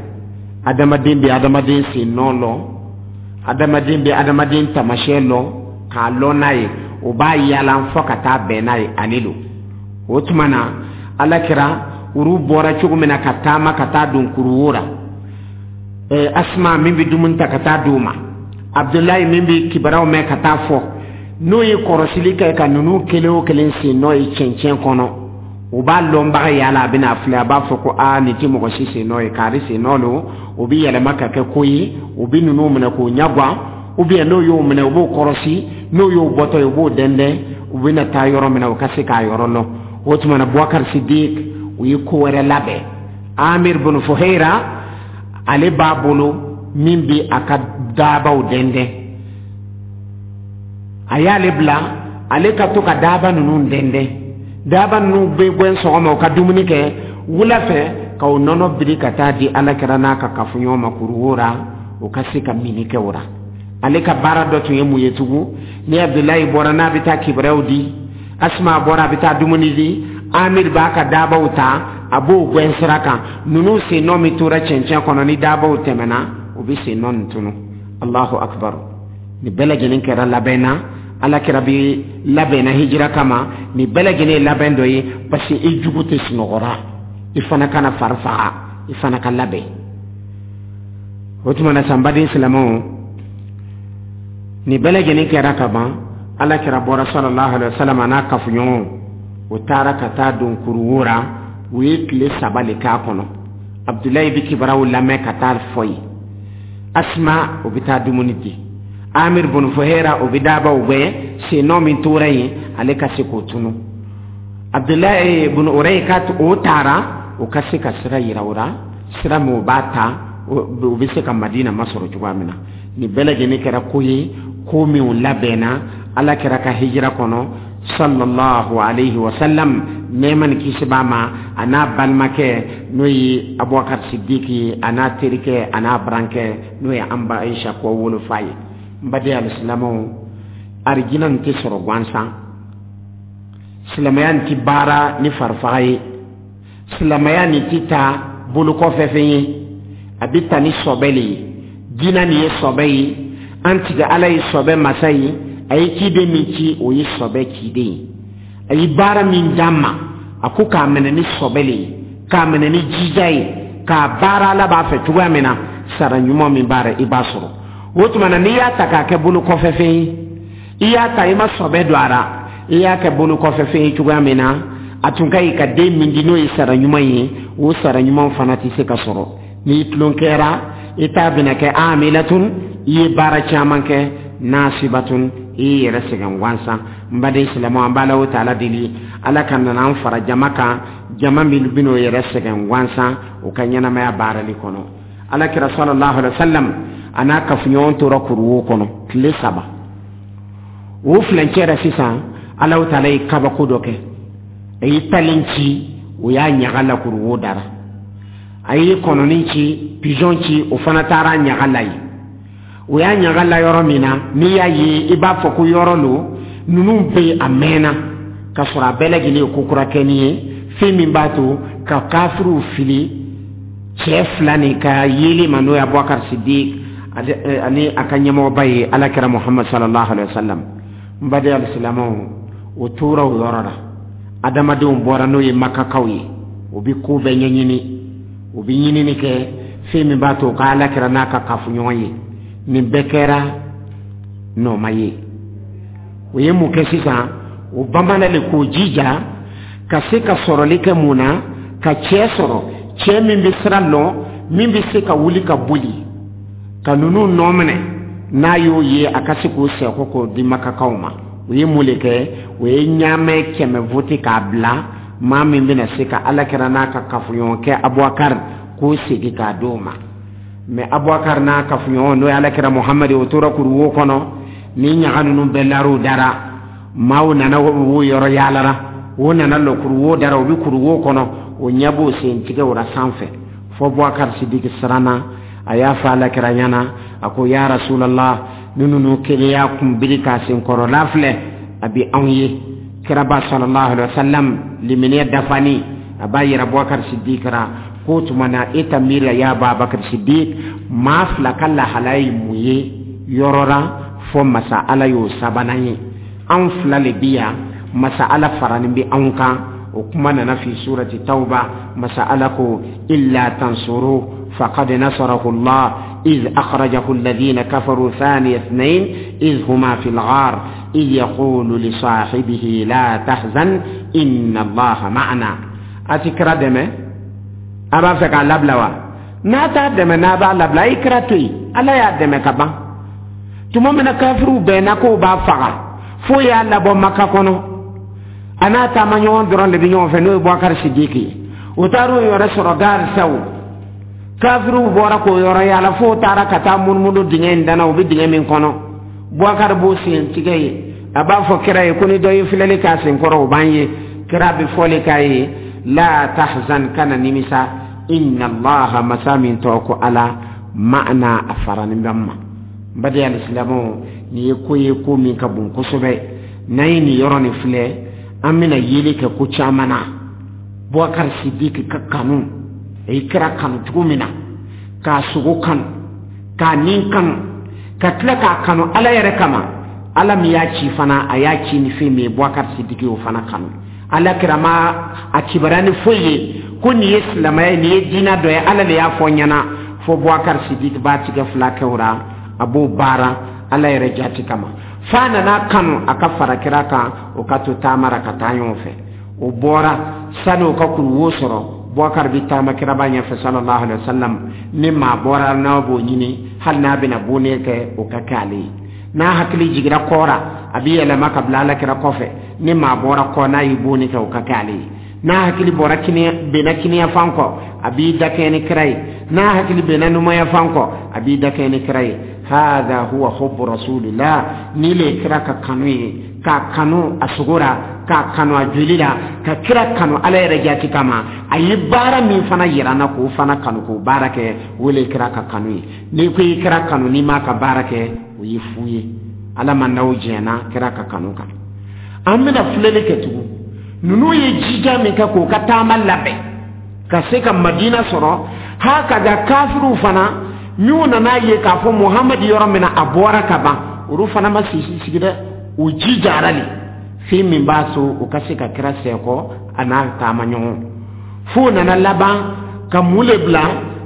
Adamaden bɛ adamaden sen nɔ lɔ, adamaden bɛ adamaden tamasiyɛn lɔ k'a lɔn n'a ye, o b'a yaala fɔ ka taa bɛn n'a ye ale lo. O tuma na, Ala kɛra olu bɔra cogo min na ka taama ka taa don kuruwo la, ɛɛ Asuma min bɛ dumuni ta ka taa d'u ma, Abdulayi min bɛ kibaruyaw mɛn ka taa fɔ, n'o ye kɔrɔsili kɛ ka ninnu kelen o kelen sen nɔ ye cɛncɛn kɔnɔ, o b'a lɔnbaga yaala, a bɛna filɛ, a b'a fɔ ko aa, nin tɛ mɔgɔ si sen nɔ ye, kari sen nɔ don. O bɛ yɛlɛma ka kɛ ko ye, o bɛ ninnu minɛ k'o ɲɛguwan, ou bien n'o y'o minɛ, u b'o kɔrɔsi, n'o y'o bɔtɔ ye, u b'o dɛndɛn, u bɛna taa yɔrɔ min na, u ka se k'a yɔrɔ lɔn. O tuma na, Bubakar Sidik u ye ko wɛrɛ labɛn. Amir bin Fuhaira, ale b'a bolo min bɛ a ka daabaw dɛndɛn, a y'ale bila ale ka to ka daaba ninnu dɛndɛn. Daaba ninnu bɛ bɔ sɔgɔma, u ka dumuni kɛ, wula fɛ ka o nɔnɔ biri ka taa di Ala kɛra n'a ka kafoɲɔgɔn ma kuruwo la, o ka se ka mini kɛ o la. Ale ka baara dɔ tun ye mun ye tugun? Ni Abdulayi bɔra n'a bɛ taa kibaruyaw di, Asima bɔra a bɛ taa dumuni di, Amir b'a ka daabaw ta, a b'o gɛn sira kan. Ninnu sennɔ min tora cɛncɛn kɔnɔ, ni daabaw tɛmɛna, u bɛ sennɔ nin tunu. Allahu akbar! Nin bɛɛ lajɛlen kɛra labɛn na. Ala kira bɛ labɛnna hijira kama. Nin bɛɛ lajɛlen ye labɛn dɔ ye, parce que i jugu tɛ sunɔgɔra, i fana kana fari faga, i fana ka labɛn. O tuma na, sanbaden silamɛw, nin bɛɛ lajɛlen kɛra ka ban. Ala kira bɔra sallallahu alaihi wa sallam, a n'a kafoɲɔgɔnw, o taara ka taa don kuruwo ra. U ye tile saba le k'a kɔnɔ. Abdulayi bɛ kibaruyaw lamɛn ka taa fɔ ye, Asima o bɛ taa dumuni di, Amir bun Fuhera o bɛ daabaw gɛn, sennɔ min tora yen, ale ka se k'o tunu. Abdulayi bun Uraykat, o taara, o ka se ka sira yira o la, sira min o b'a ta, o bɛ se ka Madina masɔrɔ cogoya min na. Nin bɛɛ lajɛlen kɛra ko ye, ko minw labɛnna ala kɛra ka hijira kɔnɔ sallallahu alayhi wa sallam, nɛɛma ni kisi b'a ma, a n'a balimakɛ n'o ye Abubakar Sidiki ye, a n'a terikɛ, a n'a barankɛ n'o ye an ba Ayisa kɔ wolofa ye. N baden alisilamɛw, arijina nin tɛ sɔrɔ gansan. Silamɛya nin tɛ baara ni farifaga ye, silamɛya nin tɛ ta bolokɔfɛ fɛn ye, a bɛ ta ni sɔbɛ le ye. Diinɛ nin ye sɔbɛ ye, an tigɛ Ala ye sɔbɛ masa ye. A ye ciden min ci, o ye sɔbɛ ciden ye. A ye baara min d'an ma, a ko k'a minɛ ni sɔbɛ le ye, k'a minɛ ni jija ye, k'a baara Ala b'a fɛ cogoya min na, sara ɲuman min b'a la, i b'a sɔrɔ. O tuma na, n'i y'a ta k'a kɛ bolo kɔfɛ fɛn ye, i y'a ta, i ma sɔbɛ don a la, i y'a kɛ bolo kɔfɛ fɛn ye cogoya min na, a tun ka ɲi ka den min di, n'o ye sara ɲuman ye, o sara ɲuman fana tɛ se ka sɔrɔ. N'i tulon kɛra, i t'a bɛna kɛ amilatun, i ye baara caman kɛ, nasibatun, i y'i yɛrɛ sɛgɛn gansan. N baden silamɛw, an b'a la o taala deli, Ala ka nana an fara jama kan, jama min bɛn'o yɛrɛ sɛgɛn gansan o ka ɲɛnamaya baarali kɔnɔ. Ala kira sallallahu alaihi wa sallam, a n'a kafoɲɔgɔn tora kuruwo kɔnɔ tile saba. O filancɛ la sisan, Alahu taala ye kabako dɔ kɛ. A ye talen ci, o y'a ɲaga la kuruwo dara. A ye kɔnɔnin ci, pigeon ci, o fana taara ɲaga la yen. O y'a ɲaga la yɔrɔ min na, n'i y'a ye, i b'a fɔ ko yɔrɔ lo ninnu bɛ yen a mɛnna, ka sɔrɔ a bɛɛ lajɛlen ye ko kura kɛni ye, fɛn min b'a to ka kafiriw fili cɛ fila nin ka yeli ma, n'o ye Abubakar Sidik ani a ka ɲɛmɔgɔba ye, alakira Muhammad sallallahu alaihi wa sallam. N baden alisilamɛw, o tora o yɔrɔ la. Adamadenw bɔra, n'o ye Makakaw ye, o bɛ ko bɛɛ ɲɛɲini, o bɛ ɲinini kɛ fɛn min b'a to ka alakira n'a ka kafoɲɔgɔn ye. Nin bɛɛ kɛra nɔɔma ye. O ye mun kɛ sisan? O bamanan le k'o jija ka se ka sɔrɔli kɛ. Mun na? Ka cɛ sɔrɔ, cɛ min bɛ sira lɔn, min bɛ se ka wuli ka boli ka ninnu nɔ minɛ. N'a y'o ye, a ka se k'o sɛko k'o di Makakaw ma. O ye mun le kɛ? O ye ɲaamɛ kɛmɛ vote k'a bila maa min bɛna se ka alakira n'a ka kafoɲɔgɔn kɛ Abubakar k'o segin k'a d'o ma. Mɛ Abubakar n'a kafoɲɔgɔn, n'o ye alakira Muhamadu, o tora kuruwo kɔnɔ. Ni ɲaga ninnu bɛɛ lar'o dara, maaw nana o yɔrɔ yaalara, o nana lɔ kuruwo dara, o bɛ kuruwo kɔnɔ, o ɲɛ b'o sen tigɛ o la sanfɛ. Fɔ Abubakar Sidiki siranna. A y'a fɔ alakira ɲɛna, a ko: ya Rasulallah, ni ninnu kelen y'a kun biri k'a senkɔrɔla filɛ, a bɛ anw ye. Kiraba sallallahu alaihi wa sallam limaniya dafani, a b'a yira Abubakar Sidiki ra k'o tuma na, e ta miiri ya Abubakar Sidiki, maa fila ka lahalaya ye mun ye yɔrɔ la fɔ masa Ala y'o sabanan ye? Anw fila le bi yan, masa Ala faranin bɛ anw kan. O kuma nana fi surati Tawba. Masa Ala ko: illa tansuru faqad nasarahu Allah إذ أخرجه الذين كفروا ثاني اثنين إذ هما في الغار إذ يقول لصاحبه لا تحزن إن الله معنا. A ti kira dɛmɛ, a b'a fɛ k'a labila wa? N'a t'a dɛmɛ, n'a b'a labila, a ye kira to yen. Ala y'a dɛmɛ ka ban. Tuma min na kafiriw bɛnna k'o b'a faga, f'o y'a labɔ Maka kɔnɔ, a n'a taama ɲɔgɔn dɔrɔn de bɛ ɲɔgɔn fɛ, n'o ye Bubakari Sidiki ye. O taar'o yɔrɔ sɔrɔ garisaw, kafiriw bɔra k'o yɔrɔ yaala, f'o taara ka taa munumunu dingɛ in dana. U bɛ dingɛ min kɔnɔ, Bubakari b'o sen tigɛ ye. A b'a fɔ kira ye ko ni dɔ ye filɛli k'a sen kɔrɔ, o b'an ye. Kira bɛ fɔli k'a ye: la tahzan, kana nimisa, inna Allaha, masa min tɔgɔ ko Ala, ma'ana, a faranin bɛ ma. N baden alisilamɛw, nin ye ko ye ko min ka bon kosɛbɛ. N'an ye nin yɔrɔ nin filɛ, an bɛna yeli kɛ ko caman na. Bubakari Sidiki ka kanu, a ye kira kanu cogo min na, k'a sogo kanu, k'a nin kanu, ka tila k'a kanu Ala yɛrɛ kama. Ala min y'a ci fana, a y'a ci ni fɛn min ye, Bubakari Sidiki y'o fana kanu. Ala kira ma a kibaruya ni foyi ye ko nin ye silamɛya ye, nin ye diinɛ dɔ ye. Ala de y'a fɔ n ɲɛna fo Bubakari Sidiki b'a tigɛ fila kɛ o la, a b'o baara Ala yɛrɛ jati kama. F'a nana kanu a ka fara kira kan, o ka to taama ra ka taa ɲɔgɔn fɛ. O bɔra sani o ka kuruwo sɔrɔ, Bubakari bɛ taama kiraba ɲɛfɛ sallallahu alaihi wa sallam. Ni maa bɔra n'a b'o ɲini, hali n'a bɛna bonni kɛ, o ka kɛ ale ye. N'a hakili jigira kɔra, a bɛ yɛlɛma ka bila Alakira kɔfɛ. Ni maa bɔra kɔ, n'a y'i bonni kɛ, o ka kɛ ale ye. N'a hakili bɔra kini benna kiniyafan kɔ, a b'i dakɛɲɛ ni kira ye. N'a hakili benna numayafan kɔ, a b'i dakɛɲɛ ni kira ye. Hadha huwa hubbu rasulillah. Ni le kira ka kanu ye, k'a kanu a sogo la, k'a kanu a joli la, ka kira kanu Ala yɛrɛ jati kama. A ye baara min fana yira n na, k'o fana kanu, k'o baara kɛ, o le kira ka kanu ye. N'i ko i kira kanu, n'i m'a ka baara kɛ, o ye fu ye. Ala ma n'aw jɛnna kira ka kanu kan. An bɛna filɛli kɛ tugun. Ninnu ye jija min kɛ k'o ka taama labɛn ka se ka Madina sɔrɔ, ha ka ga kafiriw fana minnu nana ye k'a fɔ Muhamadu yɔrɔ min na a bɔra ka ban, olu fana ma sisi sigi dɛ, u jijara le fɛn min b'a so u ka se ka kira sɛkɔ a n'a taama ɲɔgɔn. F'o nana laban ka mun le bila?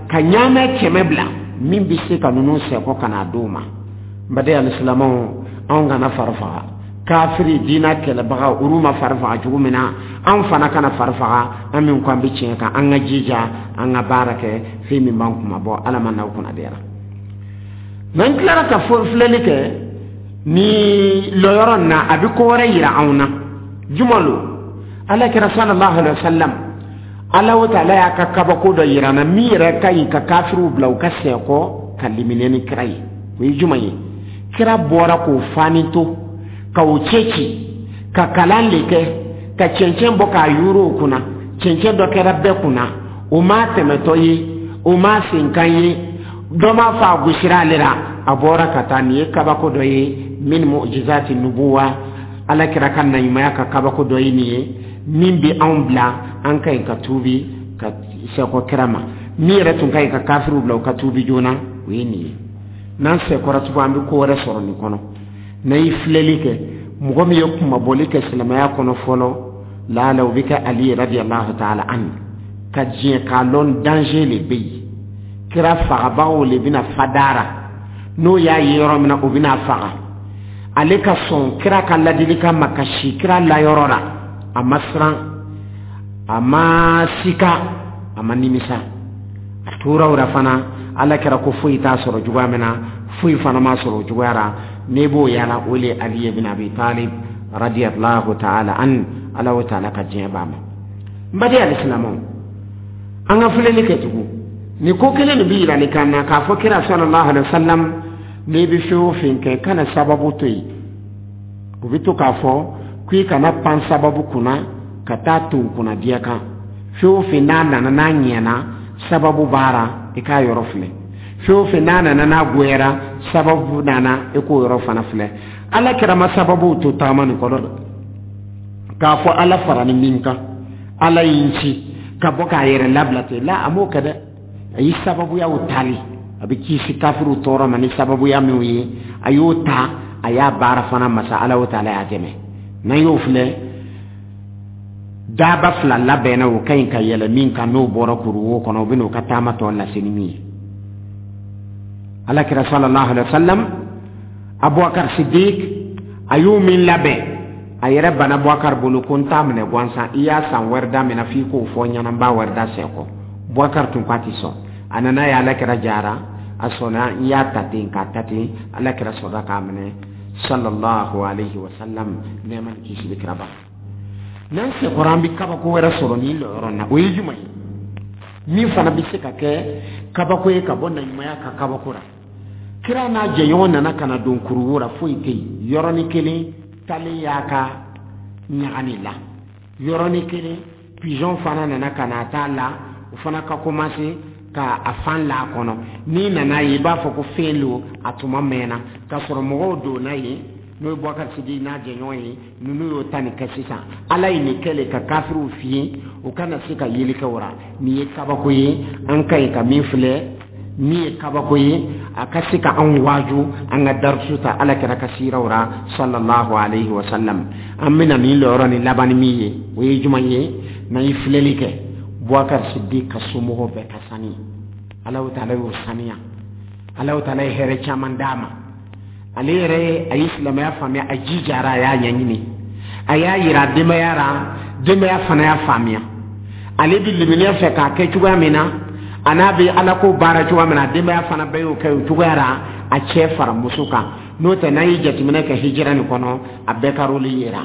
Ka ɲaamɛ kɛmɛ bila min bɛ se ka ninnu sɛkɔ ka n'a d'u ma. N baden alisilamɛw, anw kana fari faga. Kafiri diinɛ kɛlɛbaga, olu ma fari faga cogo min na, anw fana kana fari faga. An min ko an bɛ tiɲɛ kan, an ka jija, an ka baara kɛ fɛn min b'an kuma bɔ. Ala ma n'aw kunna diyara. N'an tilara ka filɛli kɛ ni lɔyɔrɔ nin na, a bɛ ko wɛrɛ yira anw na. Juma lo Ala kɛra sallallahu alaihi wa sallam, Ala o taala y'a ka kabako dɔ yira an na min yɛrɛ ka ɲi ka kafiriw bila u ka sɛkɔ ka limaniya ni kira ye. O ye juma ye? Kira bɔra k'o fani to, ka o cɛ ci, ka kalan le kɛ, ka cɛncɛn bɔ k'a yuru o kunna. Cɛncɛn dɔ kɛra bɛɛ kunna, o m'a tɛmɛtɔ ye, o m'a senkan ye, dɔ m'a fɔ a gosira ale la. A bɔra ka taa. Nin ye kabako dɔ ye min mu'jizati nubuwa, Ala kira ka naɲumanya ka kabako dɔ ye nin ye, min bɛ anw bila an ka ɲi ka tuubi ka sɛkɔ kira ma. Min yɛrɛ tun ka ɲi ka kafiriw bila u ka tuubi joona, o ye nin ye. N'an sɛkɔra tugun, an bɛ ko wɛrɛ sɔrɔ nin kɔnɔ. N'a ye filɛli kɛ, mɔgɔ min ye kumabɔli kɛ silamɛya kɔnɔ fɔlɔ, laala o bɛ kɛ Ali radiyallahu ta'ala anhu, ka diɲɛ k'a lɔn danger le bɛ yen. Kira fagabagaw le bɛna fadara, n'o y'a ye yɔrɔ min na, o bɛna faga. Ale ka sɔn kira ka ladilikan ma ka si kira layɔrɔ la, a ma siran, a ma sika, a ma nimisa. A tora o la fana. Ala kɛra ko foyi t'a sɔrɔ cogoya min na, foyi fana ma sɔrɔ o cogoya la. N'e b'o yala, o le Ali ibn Abi Talib radiyallahu ta'ala an, Ala o ta'ala ka diɲɛ b'a ma. N baden alisilamɛw, an ka filɛli kɛ tugun. Nin ko kelen nin bɛ yirali kan na k'a fɔ kira sallallahu alaihi wa sallam, n'i bɛ fɛn o fɛn kɛ, kana sababu to yen. U bɛ to k'a fɔ k'i kana pan sababu kunna ka taa to kunna diya kan. Fɛn o fɛn n'a nana n'a ɲɛna, sababu b'a i k'a yɔrɔ filɛ. Fɛn o fɛn n'a nana n'a goyara, sababu nana, i k'o yɔrɔ fana filɛ. Ala kɛra ma sababu to taama nin kɔnɔ dɛ, k'a fɔ Ala fara ni min kan, Ala y'i ci ka bɔ k'a yɛrɛ labila ten la, a m'o kɛ dɛ. A ye sababuyaw tali, a bɛ kisi kafiriw tɔɔrɔ ma ni sababuya minw ye, a y'o ta, a y'a baara fana. Masa Ala o taala y'a dɛmɛ. N'an y'o filɛ, daba fila labɛnna, o ka ɲi ka yɛlɛ min kan, n'o bɔra kuruwo kɔnɔ, o bɛ n'o ka taama tɔ lase ni min ye. Ala kira sallallahu alaihi wa sallam, Abubakar Siddiq a y'o min labɛn, a yɛrɛ bana Bubakar bolo ko n t'a minɛ gansan, i y'a san wɛrɛ da minɛ f'i k'o fɔ n ɲɛna, n b'a wɛrɛ da sɛkɔ. Bubakar tun k'a ti sɔn. A nana ye Ala kira jara, a sɔnna, n y'a ta ten k'a ta ten. Ala kira sɔrɔla k'a minɛ sallallahu alaihi wa sallam, nɛɛma ni kisi bɛ kira ba. N'an sekɔrɔ, an bɛ kabako wɛrɛ sɔrɔ nin lɔyɔrɔ na. O ye jumɛn ye min fana bɛ se ka kɛ kabako ye ka bɔ naɲumanya ka kabako la? Kira n'a jɛɲɔgɔn nana ka na don kuruwo la, foyi tɛ yen. Yɔrɔnin kelen talen y'a ka ɲagani la, yɔrɔnin kelen pigeon fana nana ka na t'a la, o fana ka commencer ka a fan la a kɔnɔ. N'i nana ye, i b'a fɔ ko fɛn lo, a tuma mɛnna k'a sɔrɔ mɔgɔw donna yen, n'o ye Bubakari Sidiki n'a jɛɲɔgɔn ye. Ninnu y'o ta nin kɛ sisan. Ala ye nin kɛ le ka kafiriw fiye, u kana se ka yeli kɛ o ra. Nin ye kabako ye, an ka ɲi ka min filɛ, min ye kabako ye, a ka se ka anw waaju, an ka darisu ta Ala kɛra ka siraw ra, sallallahu alayhi wa sallam. An bɛna nin lɔyɔrɔ ni laban ni min ye, o ye jumɛn ye? N'an ye filɛli kɛ, Bubakari Sidiki ka somɔgɔw bɛɛ ka sani, Alahu taala y'o saniya, Alahu taala ye hɛrɛ caman d'a ma. Ale yɛrɛ a ye silamɛya faamuya, a jijara, a y'a ɲɛɲini, a y'a yira denbaya la, denbaya fana y'a faamuya. Ale bɛ limaniya fɛ k'a kɛ cogoya min na, a n'a bɛ Ala ko baara cogoya min na, denbaya fana bɛɛ y'o kɛ o cogoya la, a cɛ fara muso kan. N'o tɛ, n'an ye jateminɛ kɛ hijira nin kɔnɔ, a bɛɛ ka rôle yera.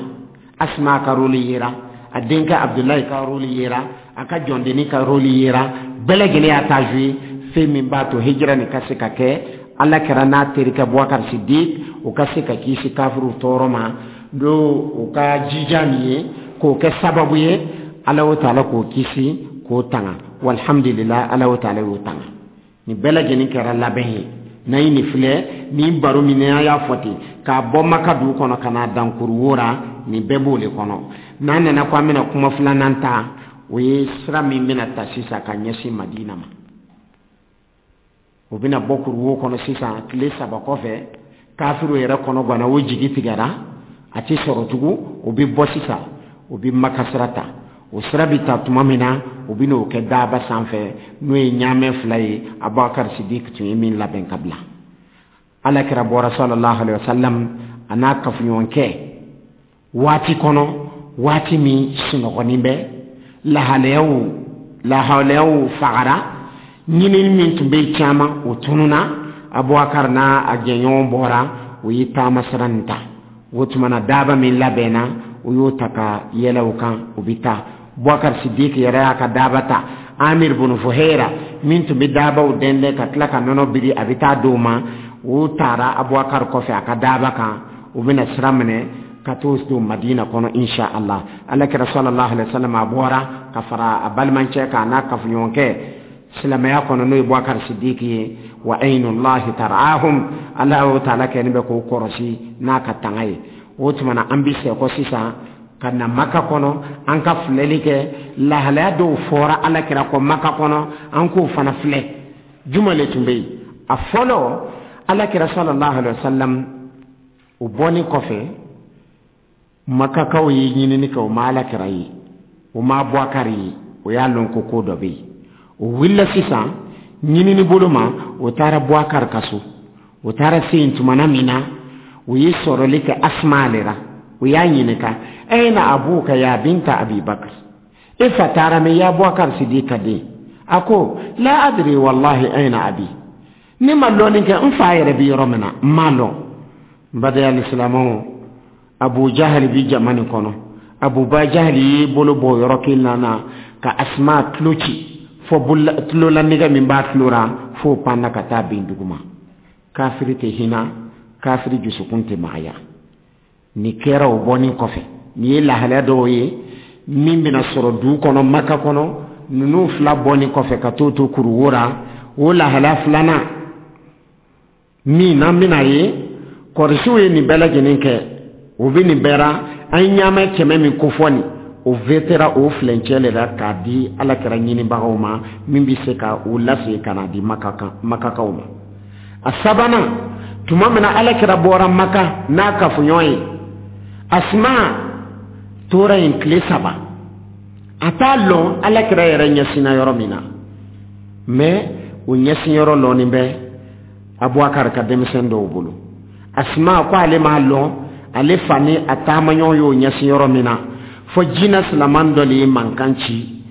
Asma ka rôle yera, a denkɛ Abudulayi ka rôle yera, a ka jɔndenni ka rôle yera, bɛɛ lajɛlen y'a ta joué. Fɛn min b'a to hijira nin ka se ka kɛ, Ala kɛra n'a terikɛ Bubakari Sidiki, o ka se ka kisi kafiriw tɔɔrɔ ma, n'o o ka jija nin ye k'o kɛ sababu ye, Ala o taala k'o kisi k'o tanga. Walhamdulillah, Ala o taala y'o tanga. Nin bɛɛ lajɛlen kɛra labɛn ye. N'an ye nin filɛ, nin baro min n'an y'a fɔ ten, k'a bɔ Maka dugu kɔnɔ ka n'a dan Kuruwo la, nin bɛɛ b'o de kɔnɔ. N'an nana ko an bɛna kuma filanan ta, o ye sira min bɛna ta sisan ka ɲɛsin Madina ma. O bɛna bɔ Kuruwo kɔnɔ sisan tile saba kɔfɛ. Kafiriw yɛrɛ kɔnɔ ganna, o jigi tigɛra, a tɛ sɔrɔ tugun. O bɛ bɔ sisan, o bɛ Maka sira ta. O sira bɛ ta tuma min na, o bɛ n'o kɛ daaba sanfɛ, n'o ye ɲaamɛ fila ye, Abubakar Sidiki tun ye min labɛn ka bila. Ala kɛra bɔra, sallallahu alaihi wa sallam, a n'a kafoɲɔgɔnkɛ waati kɔnɔ, waati min sunɔgɔnin bɛ, lahalayaw lahalayaw fagara, ɲinini min tun bɛ yen caman, o tununa. Abubakar n'a a jɛɲɔgɔn bɔra, o ye taama sira nin ta. O tuma na, daaba min labɛnna, o y'o ta ka yɛlɛ o kan, o bɛ taa. Bubakar Sidiki yɛrɛ y'a ka daaba ta. Amir bunu Fuhera min tun bɛ daabaw dɛndɛn ka tila ka nɔnɔ biri, a bɛ taa d'o ma, o taara Abubakar kɔfɛ a ka daaba kan. O bɛna sira minɛ ka t'o don Madina kɔnɔ, insha Allah. Ala kɛra, sallallahu alaihi wa sallam, a bɔra ka fara a balimacɛ kan, n'a kafoɲɔgɔnkɛ silamɛya kɔnɔ, n'o ye Bubakar Sidiki ye. Wa aynullahi tar'ahum, Ala o taala kɛlen bɛ k'o kɔrɔsi n'a ka tanga ye. O tuma na, an bɛ sɛkɔ sisan ka na Maka kɔnɔ, an ka filɛli kɛ lahalaya dɔw fɔra Ala kira kɔ Maka kɔnɔ, an k'o fana filɛ. Juma le tun bɛ yen? A fɔlɔ, Ala kira, sallallahu alaihi wa sallam, o bɔlen kɔfɛ, Makakaw ye ɲinini kɛ, o ma Ala kira ye, o ma Bubakari ye. O y'a lɔn ko ko dɔ bɛ yen. O wulila sisan ɲinini bolo ma, o taara Bubakari ka so. O taara se yen tumana min na, o ye sɔrɔli kɛ Asma ale la. O y'a ɲininka: "Aina abuka ya binta Abi Bakr?" E fa taara min, ya Bubakar Sidiki ka den? A ko: "La adri wallahi aina abi." Ne ma lɔnni kɛ n fa yɛrɛ bi yɔrɔ min na, n m'a lɔn. N badenya silamɛw, Abu Jahali bi jama nin kɔnɔ. Abuba Jahali y'i bolo bɔ yɔrɔ kelen na ka Asma tulo ci, fɔ tulo la nɛgɛ min b'a tulo la, f'o panna ka taa bin duguma. Kafiri tɛ hinɛ, kafiri dusukun tɛ magaya. Nin kɛra o bɔnin kɔfɛ. Nin ye lahalaya dɔw ye min bɛna sɔrɔ dugu kɔnɔ, Maka kɔnɔ, ninnu fila bɔnin kɔfɛ ka t'o to Kuruwo la. O lahalaya filanan min n'an bɛna ye, kɔrisiw ye nin bɛɛ lajɛlen kɛ, o bɛ nin bɛɛ la. An ye ɲaamɛ kɛmɛ min kofɔ nin, o vetera o filencɛ de la k'a di Ala kɛra ɲinibagaw ma, min bɛ se ka o lase ka na di Makakaw ma. A sabanan, tuma min na Ala kɛra bɔra Maka n'a kafoɲɔgɔn ye, Asma tora yen tile saba, a t'a lɔn Ala kɛra yɛrɛ ɲɛsinna yɔrɔ min na. Mɛ o ɲɛsin yɔrɔ lɔnni bɛ Abubakar ka denmisɛn dɔw bolo. Asma ko ale m'a lɔn ale fa ni a taamaɲɔgɔn y'o ɲɛsin yɔrɔ min na, fɔ jinɛ silaman dɔ de ye mankan ci.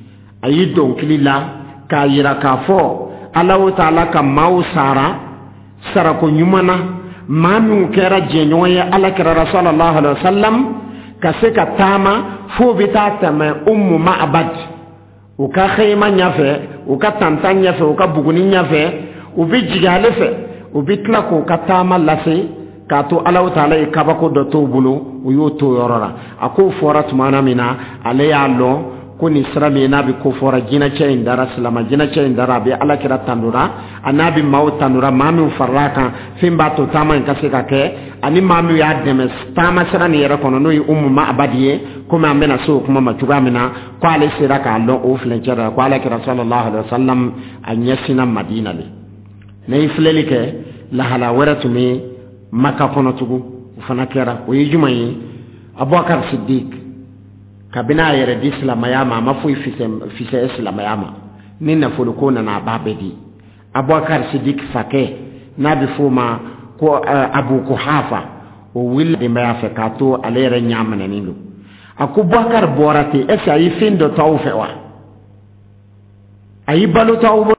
A y'i dɔnkili la k'a yira k'a fɔ Ala o taala ka maaw sara sarako ɲuman na, maa minnu kɛra jɛɲɔgɔn ye Ala kɛra, sallallahu alaihi wa sallam, ka se ka taama f'o bɛ taa tɛmɛ Ummu Ma'bad u ka xeyima ɲɛfɛ, u ka tantan ɲɛfɛ, u ka buguni ɲɛfɛ, u bɛ jigin ale fɛ, u bɛ tila k'u ka taama lase k'a to Alahu taala ye kabako dɔ t'o bolo, u y'o to yɔrɔ la. A k'o fɔra tuma min na, ale y'a lɔn Ko nin sira min n'a bɛ ko fɔra jinɛcɛ in dara, silama jinɛcɛ in dara, a bɛ Ala kira tandora, a n'a bɛ maaw tandora, maa min farala a kan, fɛn b'a to taama in ka se ka kɛ, ani maa min y'a dɛmɛ taama sira nin yɛrɛ kɔnɔ, n'o ye Umu Ma'abadi ye. Komi an bɛna se o kuma ma cogoya min na, ko ale sera k'a lɔn o filencɛ la ko Ala kira sallallahu alaihi wa sallam a ɲɛsinna Madina le. Ne ye filɛli kɛ, lahala wɛrɛ tun bɛ Maka kɔnɔ tugun, o fana kɛra. O ye jumɛn ye? Abubakar Siddiq, kabini a yɛrɛ di silamɛya ma, a ma foyi fisaya silamɛya ma. Ni nafolo ko nana, a b'a bɛɛ di. Abubakar Siddiq fakɛ, n'a bɛ f'o ma ko Abu Kuhafa, o wulila denbaya fɛ k'a to ale yɛrɛ ɲɛ minɛnen don. A ko: "Bubakar bɔra ten, est ce que a ye fɛn dɔ to aw fɛ wa? A y'i balo to aw bolo?"